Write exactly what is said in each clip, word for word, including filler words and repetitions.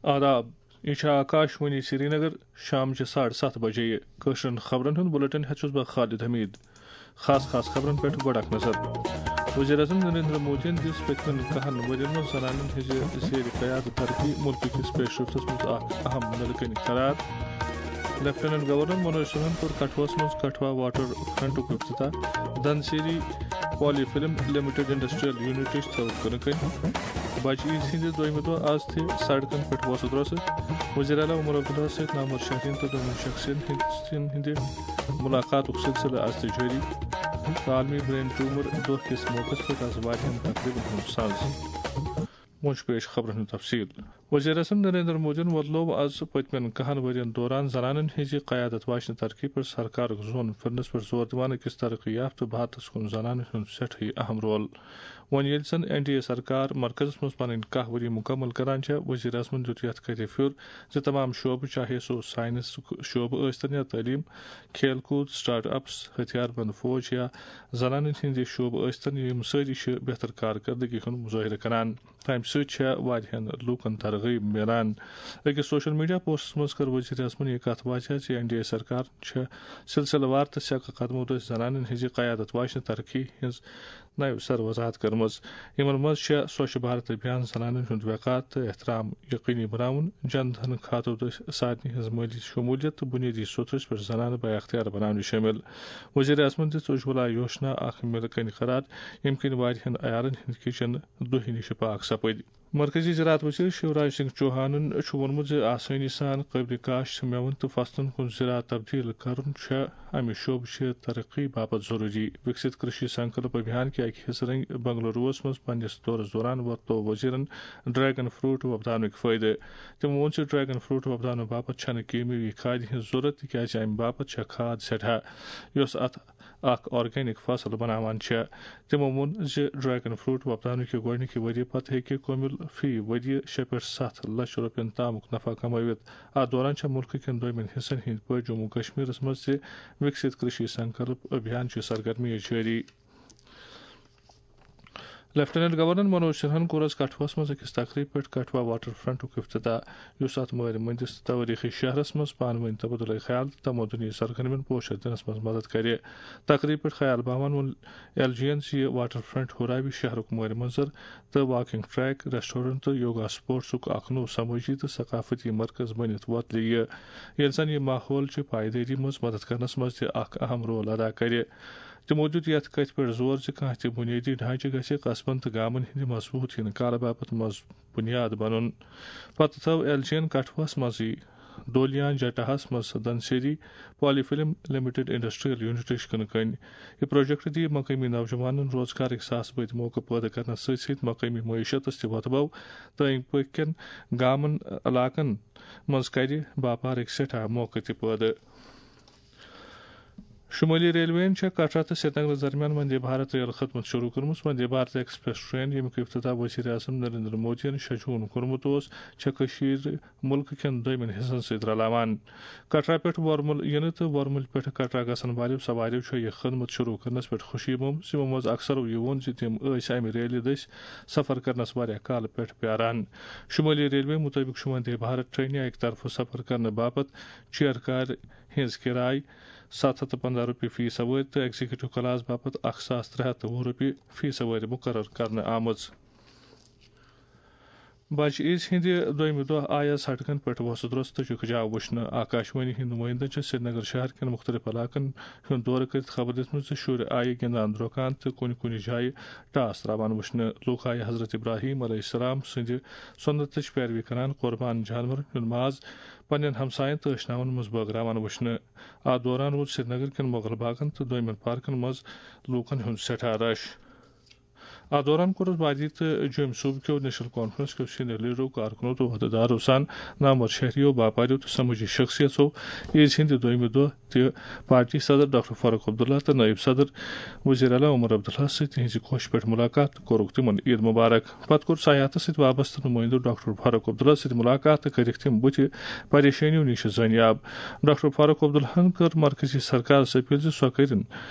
آداب، یہِ چھِ آکاش وانی سرینگر۔ شام چہِ ساڑٕ ستھ بجے۔ کٲشرٮ۪ن خبرن ہُنٛد بُلٹن ہٮ۪تھ چھُس بہٕ خالد حمید۔ خاص خاص خبرن پٮ۪ٹھ گۄڈٕ اکھ نظر۔ وزیر اعظم نریندر مودیَن دِژ پٔتمٮ۪ن کہن ؤرین منٛز زنانن ہٕنٛزِ زیر قیادت ترقی مُلکہٕ کِس پیشرفتس منٛز اکھ اہم نلکن قرار۔ لیفٹیننٹ گورنر منوج سنہن کوٚر کٹھوَس منٛز کٹھوا واٹر فرنٹُک افتتاح۔ دھنسیری پالی فلم لمیٹڈ انڈسٹریل یونٹٕچ تھٲو کٕنہٕ کٔنۍ۔ بجہِ عیٖد ہٕنٛدِ دوٚیمہِ دۄہ آز تہِ سڑکن پٮ۪ٹھ وۄسہٕ درۄسہٕ۔ وزیر اعلیٰ عمر عبداللہ سۭتۍ نامور شہرین تہٕ دۄنوٕنی شخصین ہٕنٛدۍ ہٕنٛدِ ملاقاتُک سلسلہٕ آز تہِ جٲری۔ عالمی برین ٹیومر دۄہ کِس موقعس پٮ۪ٹھ آز واریاہن تقریبن ہُنٛد ساز۔ وۄنۍ چھُ پیش خبرن ہُنٛد تفصیل۔ وزیر اعظم نریندر مودیَن وۄتلوو آز پٔتمٮ۪ن کہن ؤرین دوران زنانن ہٕنٛزِ قیادت واجنہِ ترقی پٮ۪ٹھ سرکارُک زون پھِرنس پٮ۪ٹھ زور دِوان أکِس ترقی یافتہٕ بھارتس کُن زنانن ہُنٛد سٮ۪ٹھٕے اہم رول۔ وۄنۍ ییٚلہِ زن این ڈی اے سرکار مرکزس منٛز پنٕنۍ کاہ ؤری مُکمل کران چھےٚ، وزیر اعظمن دیُت یتھ کتھِ پھیُر زِ تمام شعبہٕ، چاہے سُہ ساینسُک شعبہٕ ٲسۍتن یا تعلیٖم، کھیل کوٗد، سٹارٹ اپس، ہتھیار بند فوج یا زنانن ہٕنٛدِ شعبہٕ ٲسۍتن، یِم سٲری چھِ بہتر کارکردگی ہُنٛد مظٲہرٕ کران۔ تَمہِ سۭتۍ چھےٚ واریاہَن لوٗکَن ترغیب میلان۔ أکِس سوشل میڈیا پوسٹَس منٛز کٔر وزیر اعظمَن یہِ کَتھ واضح زِ این ڈی اے سرکار چھےٚ سلسلہٕ وار تہٕ سیٚکہٕ قدمو دٔسۍ زنانَن ہٕنٛزِ قیادت واجنہِ ترقی ہٕنٛز نَوِ سرٕ وضاحت کٔرمٕژ۔ یِمَن منٛز چھےٚ سوچھ بھارت ابھیان، زنانَن ہُنٛد وقار تہٕ احترام یقینی بناوُن، جن دھن کھاتو دٔسۍ سارنٕے ہٕنٛز مٲلی شمولیت تہٕ بنیٲدی سطحس پٮ۪ٹھ زنانہٕ بااختیار بناونہٕ شٲمِل۔ وزیر اعظمَن دِژ اجولا یوجنا اکھ ملکن قرار، ییٚمہِ کِنۍ واریاہَن عیالَن ہٕنٛدۍ کچن دُہہِ نِش پاک سپٕدۍ۔ مرکزی زراعت وزیر شیوراج سنگھ چوہانن چھُ ووٚنمُت زِ آسٲنی سان قٲبلِ کاشت مٮ۪وَن تہٕ فصلن کُن زراعت تبدیل کرُن چھُ امہِ شعبہٕ چہِ ترقی باپتھ ضروٗری۔ وِکسِت کرشی سنکلپ ابھیان کہِ اکہِ حصہٕ رنگۍ بنگلوروَس منٛز پننِس دورس دوران وۄتلوو وزیرن ڈریگن فروٹ وۄپداونٕکۍ فٲیدٕ۔ تِمو ووٚن زِ ڈریگن فروٹ وۄپداونہٕ باپتھ چھنہٕ کیمیٲوی کھادِ ہٕنٛز ضروٗرت، تِکیازِ امہِ باپتھ چھےٚ کھاد سٮ۪ٹھاہ، یۄس اتھ اکھ آرگینک فصل بناوان چھےٚ۔ تِمو ووٚن زِ ڈریگن فروٹ وۄپداونہٕ کہِ گۄڈٕنِکہِ ؤریہِ پتہٕ ہیٚکہِ کۄمِل فی ؤریہِ شےٚ پٮ۪ٹھ ستھ لچھ رۄپین تامُک نفع کمٲوِتھ۔ اتھ دوران چھےٚ مُلکہٕ کٮ۪ن دوٚیمٮ۪ن حصن ہٕنٛدۍ پٲٹھۍ جموں کشمیرس منٛز تہِ وِکسِت کرشی سنکلپ ابھیان چہِ سرگرمیہِ جٲری۔ لیفٹیننٹ گورنر منوج سنہن کوٚر آز کٹھوَس منٛز أکِس تقریٖب پٮ۪ٹھ کٹھوا واٹر فرنٹُک افتتاح، یُس اتھ مٲرِ مٔنٛدِس تٲریٖخی شہرس منٛز پانہٕ وٲنۍ تبادلہٕ خیال تہٕ تمدنی سرگرمین پوچھر دِنس منٛز مدد کرِ۔ تقریٖب پٮ۪ٹھ خیال باوان ووٚن ایل جی یَن زِ یہِ واٹر فرنٹ ہُراوِ شہرُک مٲرِ منظر تہٕ واکنگ ٹریک، ریسٹورنٹ تہٕ یوگا سپورٹسُک اکھ نوٚو سمٲجی تہٕ ثقافتی مرکز بٔنِتھ وۄتلہِ یہِ، ییٚلہِ زن یہِ ماحول چہِ پائیدٲری منٛز مدد کرنس منٛز تہِ اکھ اہم رول ادا کرِ۔ تِمو دیُت یَتھ کَتھِ پٮ۪ٹھ زور زِ کانٛہہ تہِ بُنیٲدی ڈھانچہٕ گژھِ قصبن تہٕ گامَن ہٕنٛدِ مضبوٗط یِنہٕ کالہٕ باپتھ مض-، بُنیاد بَنُن۔ پتہٕ تھٲو ایل جی یَن کٹھوَس منٛزٕے دولیان جٹاہَس منٛز دنسیری پالی فلم لمیٹڈ انڈسٹریل یونٹٕچ کٕنہٕ کٔنۍ۔ یہِ پروجیکٹ دِیہِ مقٲمی نوجوانَن روزگارٕکۍ ساس بٔدۍ موقعہٕ پٲدٕ کرنَس سۭتۍ سۭتۍ مقٲمی معیشتَس تہِ وۄتھٕ بَو تہٕ أنٛدۍ پٔکۍ کٮ۪ن گامَن علاقَن منٛز کرِ باپارٕکۍ سٮ۪ٹھاہ موقعہٕ تہِ پٲدٕ۔ شمٲلی ریلویَن چھےٚ کٹرا تہٕ سرینگرَس درمیان وندے بھارت ریل خدمت شروع کٔرمٕژ۔ وندے بھارت ایکسپریس ٹرین، ییٚمیُک افتتاح وزیر اعظم نریندر مودیَن شےٚ جون کوٚرمُت اوس، چھےٚ کٔشیٖر مُلکہٕ کٮ۪ن دوٚیمٮ۪ن حصن سۭتۍ رلاوان۔ کٹرا پٮ۪ٹھ ورمُل یِنہٕ تہٕ ورمُلۍ پٮ۪ٹھ کٹرا گژھن والیو سواریو چھےٚ یہِ خدمت شروع کرنس پٮ۪ٹھ خوشی مومژ۔ یِمو منٛز اکثرو یہِ ووٚن زِ تِم ٲسۍ امہِ ریلہِ دٔسۍ سفر کرنس واریاہ کالہٕ پٮ۪ٹھ پیاران۔ شمٲلی ریلوے مُطٲبِق چھُ وندے بھارت ٹرینہِ اکہِ طرفہٕ سفر کرنہٕ باپتھ چیئر کارِ ہٕنٛز کرایہِ ستھ ہتھ تہٕ پنٛداہ رۄپیہِ فی سوٲرۍ تہٕ ایگزیکٹو کلاس باپتھ اکھ ساس ترٛےٚ ہتھ تہٕ وُہ رۄپیہِ فی سوٲرۍ مُقرر کرنہٕ آمٕژ۔ بجہِ عیٖز ہٕنٛدِ دوٚیمہِ دۄہ آیہِ آز سڑکن پٮ۪ٹھ وۄسہٕ درۄسہٕ تہٕ چِکہٕ جاو وٕچھنہٕ۔ آکاشوانی ہٕنٛدۍ نُمٲیندن چھِ سرینگر شہر کٮ۪ن مُختٔلِف علاقن ہُنٛد دورٕ کٔرِتھ خبر دِژمٕژ زِ شُرۍ آیہِ گِنٛدان درٛۄکان تہٕ کُنہِ کُنہِ جایہِ ٹاس تراوان وٕچھنہٕ۔ لوٗکھ آیہِ حضرت ابراہیم علیہ السلام سٕنٛدِ سُنتٕچ پیروی کران قربان جانورن ہُنٛد ماز پننٮ۪ن ہمساین تہٕ ٲشناون منٛز بٲگراوان وٕچھنہٕ۔ اتھ دوران روٗد سرینگر کٮ۪ن مغل باغن تہٕ دویمٮ۪ن پارکن منٛز لوٗکن ہُنٛد سٮ۪ٹھاہ رش۔ اتھ دوران کوٚرُس وادی تہٕ جوٚمۍ صوبہٕ کیو نیشنل کانفرنس کیو سینئر لیڈرو، کارکنو تہٕ عہدیدارو سان نامور شہریو، باپاریو تہٕ سمٲجی شخصیژو عیز ہٕنٛدِ دوٚیمہِ دۄہ تہِ پارٹی صدر ڈاکٹر فاروق عبداللہ تہٕ نٲیِب صدر وزیر اعلیٰ عمر عبداللہ سۭتۍ تِہنٛزِ کوشہِ پٮ۪ٹھ مُلاقات تہٕ کوٚرُکھ تِمن عید مبارک۔ پتہٕ کوٚر سیاحتس سۭتۍ وابستہٕ نُمٲیندو ڈاکٹر فاروق عبداللہ سۭتۍ مُلاقات تہٕ کٔرِکھ تِم بُتھِ پریشٲنیو نِش زٲنیاب۔ ڈاکٹر فاروق عبداللہن کٔر مرکزی سرکارس اپیل زِ سۄ کٔرِن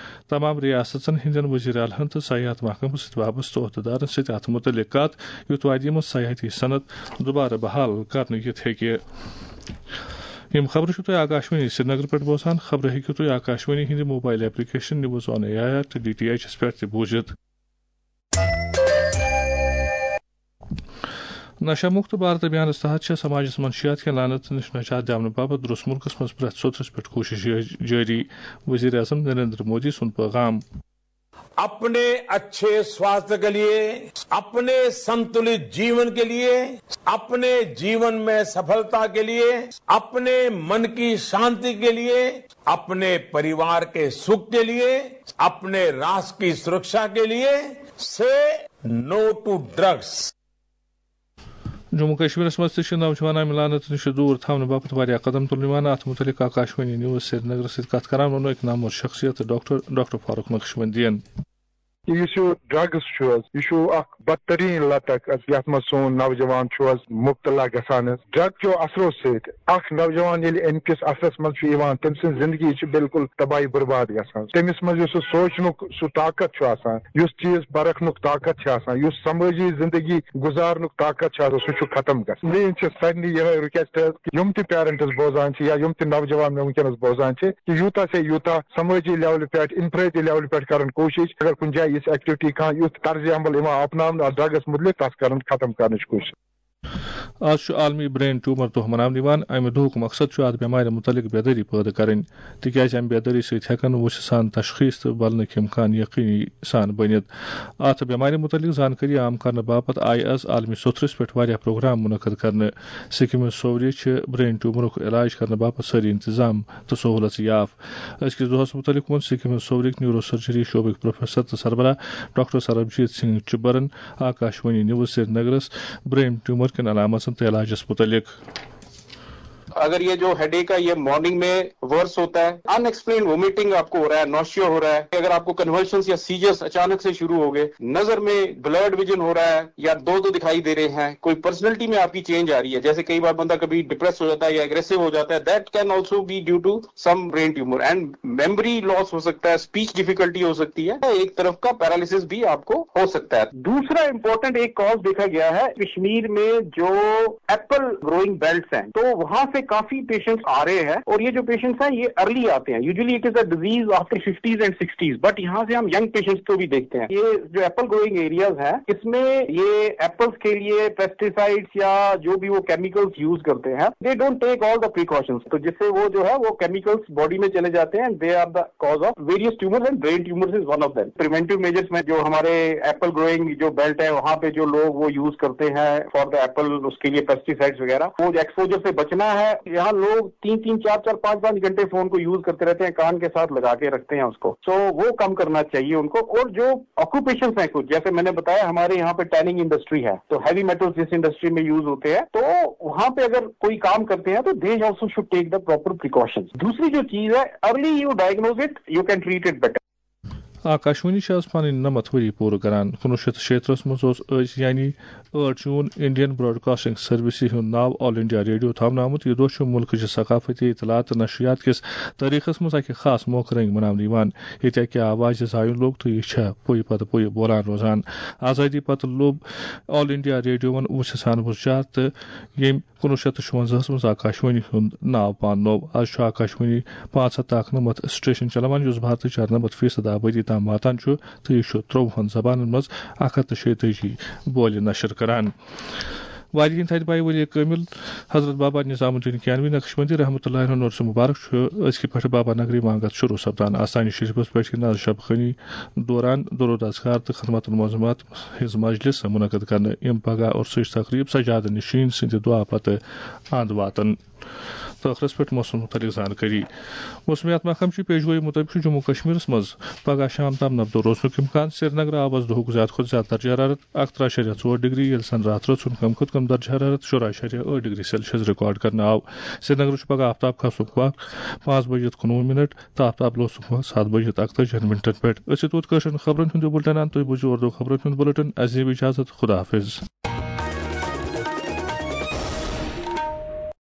تمام ریاستن ہٕنٛدٮ۪ن وزیر اعلیٰ ہن تہٕ سیاحت محکمس سۭتۍ وابستہٕ عہدٕدارن سۭتۍ اتھ مُتعلق کتھ، یُتھ وادی منٛز سیاحتی صنعت دوبارٕ بحال کرنہٕ یِتھ ہیٚکہِ۔ یِم خبرٕ چھِو تُہۍ آکاشوانی سرینگر پٮ۪ٹھ بوزان۔ خبرٕ ہیٚکِو تُہۍ آکاشوانی ہٕنٛدِ mobile application news on A I R تہٕ ڈی ٹی ایچ یَس پٮ۪ٹھ تہِ بوٗزِتھ۔ نشہ مکت بھارت ابھیانس تحت چھےٚ سماجس منشیات کٮ۪ن لعنتن نِش نجات دِنہٕ باپتھ درست مُلکس منٛز پرٛٮ۪تھ سوٚتھرِس پٮ۪ٹھ کوٗشش جٲ-، جٲری۔ وزیر اعظم نریندر مودی سُنٛد پیغام۔ अपने अच्छे स्वास्थ्य के लिए, अपने संतुलित जीवन के लिए, अपने जीवन में सफलता के लिए, अपने मन की शांति के लिए, अपने परिवार के सुख के लिए, अपने राष्ट्र की सुरक्षा के लिए, से नो टू ड्रग्स। جموں کشمیرس منٛز تہِ چھِ نوجوانن لعنت نِش دوٗر تھاونہٕ باپتھ واریاہ قدم تُلنہٕ یِوان۔ اتھ مُتعلق آکاشوانی نیوز سرینگرس سۭتۍ کتھ کران ووٚن أکۍ نامور شخصیت ڈاکٹر، ڈاکٹر فاروق نقشبندین۔ یُس یہِ ڈرگس چھُ حظ، یہِ چھُ اکھ بدترین لت اکھ حظ، یتھ منٛز سون نوجوان چھُ حظ مبتلا گژھان حظ۔ ڈرگ کیو اثرو سۭتۍ اکھ نوجوان ییٚلہِ امہِ کِس اثرس منٛز چھُ یِوان، تٔمۍ سٕنٛز زندگی چھِ بالکل تباہی برباد گژھان۔ تٔمِس منٛز یُس سُہ سونچنُک سُہ طاقت چھُ آسان، یُس چیٖز پرکھنُک طاقت چھُ آسان، یُس سمٲجی زندگی گُزارنُک طاقت چھُ آسان، سُہ چھُ ختم گژھان۔ میٲنۍ چھِ سارنٕے یِہے رِکویسٹ حظ، یِم تہِ پیرنٹس بوزان چھِ یا یِم تہِ نوجوان مےٚ وٕنکیٚنس بوزان چھِ، کہِ یوٗتاہ سے یوٗتاہ سمٲجی لیولہِ پٮ۪ٹھ، انفرٲدی لیولہِ پٮ۪ٹھ کرن کوٗشش، اگر کُنہِ جایہِ یِژھ ایکٹیویٹی کانٛہہ یُتھ طرزِ عمل یِوان اپناونہٕ اتھ ڈرگس مُتعلق، تتھ کرن ختم کرنٕچ کوٗشش۔ آز چھُ عالمی برین ٹیومر دۄہ مناونہٕ یِوان۔ امہِ دۄہُک مقصد چھُ اتھ بٮ۪مارِ مُتعلق بیدٲری پٲدٕ کرٕنۍ، تِکیازِ امہِ بیدٲری سۭتۍ ہٮ۪کن وُژھِ سان تشخیص تہٕ بلنٕکۍ امکان یقینی سان بٔنِتھ۔ اتھ بٮ۪مارِ مُتعلق زانکٲری عام کرنہٕ باپتھ آیہِ از عالمی سوٚتھرِس پٮ۪ٹھ واریاہ پروگرام منعقد کرنہٕ۔ سکمٕچ سووری چھِ برین ٹیومرُک علاج کرنہٕ باپتھ سٲری انتظام تہٕ سہولژٕ یاف۔ أزکِس دۄہس مُتعلق ووٚن سکمٕچ سوورٕکۍ نیورو سرجری شعبٕکۍ پروفیسر تہٕ سربراہ ڈاکٹر سربجیت سنگھ چبرن آکاشوانی نیوز سرینگرس برین ٹیومر کٮ۪ن علامژن تہٕ علاجس مُتعلق۔ اگر یہ جو ہیڈ ایک ہے، یہ مارننگ میں ورس ہوتا ہے، ان ایکسپلینڈ وومیٹنگ آپ کو ہو رہا ہے، نوشیا ہو رہا ہے، اگر آپ کو کنورشنس یا سیجرز اچانک سے شروع ہو گئے، نظر میں بلرڈ ویژن ہو رہا ہے یا دو دو دکھائی دے رہے ہیں، کوئی پرسنالٹی میں آپ کی چینج آ رہی ہے، جیسے کئی بار بندہ کبھی ڈپریس ہو جاتا ہے یا اگریسو ہو جاتا ہے، that can also be due to some brain tumor and memory loss ہو سکتا ہے، اسپیچ ڈیفیکلٹی ہو سکتی ہے، ایک طرف کا پیرالسس بھی آپ کو ہو سکتا ہے۔ دوسرا امپورٹنٹ ایک کاز دیکھا گیا ہے کشمیر میں، جو ایپل گروئنگ بیلٹس ہیں، تو وہاں سے کافی پیشنٹس آ رہے ہیں، اور یہ جو پیشنٹس ہیں، یہ ارلی آتے ہیں۔ Usually it is a disease after fifties and sixties, but یہاں سے ہم ینگ پیشنٹس کو بھی دیکھتے ہیں۔ یہ جو ایپل گروئنگ ایریاز ہیں، اس میں یہ ایپلز کے لیے پیسٹیسائڈز یا جو بھی وہ کیمیکلز یوز کرتے ہیں، they don't take all the precautions، تو جس سے وہ جو ہے، وہ کیمیکلز باڈی میں چلے جاتے ہیں، they are the cause of various tumors and brain tumors is one of them۔ Preventive measures میں جو ہمارے ایپل گروئنگ جو بیلٹ ہے، وہاں پہ جو لوگ وہ یوز کرتے ہیں فار دا ایپل، اس کے لیے پیسٹیسائڈز وغیرہ، وہ ایکسپوجر سے بچنا ہے۔ یہاں لوگ تین تین، چار چار، پانچ پانچ گھنٹے فون کو یوز کرتے رہتے ہیں، کان کے ساتھ لگا کے رکھتے ہیں اس کو، سو وہ کم کرنا چاہیے ان کو۔ اور جو آکوپیشنز ہیں کچھ، جیسے میں نے بتایا، ہمارے یہاں پہ ٹیننگ انڈسٹری ہے، تو ہیوی میٹلز جس انڈسٹری میں یوز ہوتے ہیں، تو وہاں پہ اگر کوئی کام کرتے ہیں، تو they also should take the proper precautions۔ دوسری جو چیز ہے، early you diagnose it, you can treat it better۔ Akashvani چھِ آز پنٕنۍ نَمَتھ ؤری پوٗرٕ کران۔ کُنوُہ شیٚتھ تہٕ شیٚترٕہَس منٛز اوس أزۍ، یعنی ٲٹھ جوٗن، انڈین براڈکاسٹنگ سروسہِ ہُنٛد ناو آل انڈیا ریڈیو تھاونہٕ آمُت۔ یہِ دۄہ چھُ مُلکٕچہِ ثقافتی اطلاعات تہٕ نشریات کِس تٲریخس منٛز اکہِ خاص موقعہٕ رنگۍ مناونہٕ یِوان، ییٚتہِ اکہِ آوازِ زایُن لوٚگ تہٕ یہِ چھےٚ پُیہِ پتہٕ پُیہِ بولان روزان۔ آزادی پتہٕ لوٚب آل انڈیا ریڈیوَن وُژھِ سان وُژھ جار تہٕ ییٚمۍ کُنوُہ شیٚتھ تہٕ شُوَنزاہَس منٛز آکاشوانی ہُنٛد ناو پاننوو۔ از چھُ آکاشوانی پانٛژھ ہَتھ تہٕ اَکہٕ نَمَتھ سٹیشن چلاوان، یُس بھارتٕچ اَرنَمَتھ فیصد آبٲدی تام واتان چھُ، تہٕ یہِ چھُ ترٛۆوُہَن زبانن منٛز اَکھ ہَتھ تہٕ شیٚیہِ تٲجی بولہِ نشر کران۔ واریاہن تھدِ پایہِ ؤری کٲمِل حضرت بابا نظام الدین کیانوی نقشبندی رحمۃ اللہ علیہ ہُنٛد عرس مبارک چھُ أزکہِ پٮ۪ٹھٕ بابا نگری وانگت شروع سپدان۔ آستانہِ شریفس پٮ۪ٹھ یِن از شب خٲنی دوران درود اذکار تہٕ خدمت المعظمات ہٕنٛز مجلس منعقد کرنہٕ۔ یِم پگاہ عرسٕچ تقریب سجادٕ نشین سٕنٛدِ دعا پتہٕ اند واتن۔ تہٕ ٲخرس پٮ۪ٹھ موسمس مُتعلق زانکٲری۔ موسمیات محکمہٕ چہِ پیشگویی مُطٲبِق چھُ جموں کشمیرس منٛز پگاہ شام تام نبدو روزنُک امکان۔ سرینگر آو از دۄہُک زیادٕ کھۄتہٕ زیادٕ درجہ حرارت اکترٕہ اعشاریہ ژور ڈگری، ییٚلہِ زن راتھ رٲژ ہُنٛد کم کھۄتہٕ کم درجہ حرارت شُراہ اعشاریہ ٲٹھ ڈگری سیلسیس ریکارڈ کرنہٕ آو۔ سرینگرٕ چھُ پگاہ آفتاب کھسنُک وق پانٛژھ بجِتھ کُنوُہ منٹ تہٕ آفتاب لوسنُک وق ستھ بجِتھ اکتٲجِہن منٹن پٮ۪ٹھ۔ أسۍ چھِ توت کٲشرٮ۪ن خبرن ہُنٛد یہِ بُلٹن انان۔ تُہۍ بوٗزِو اردو خبرن ہُنٛد بُلٹن۔ اسہِ دِیِو اجازت۔ خدا حافظ۔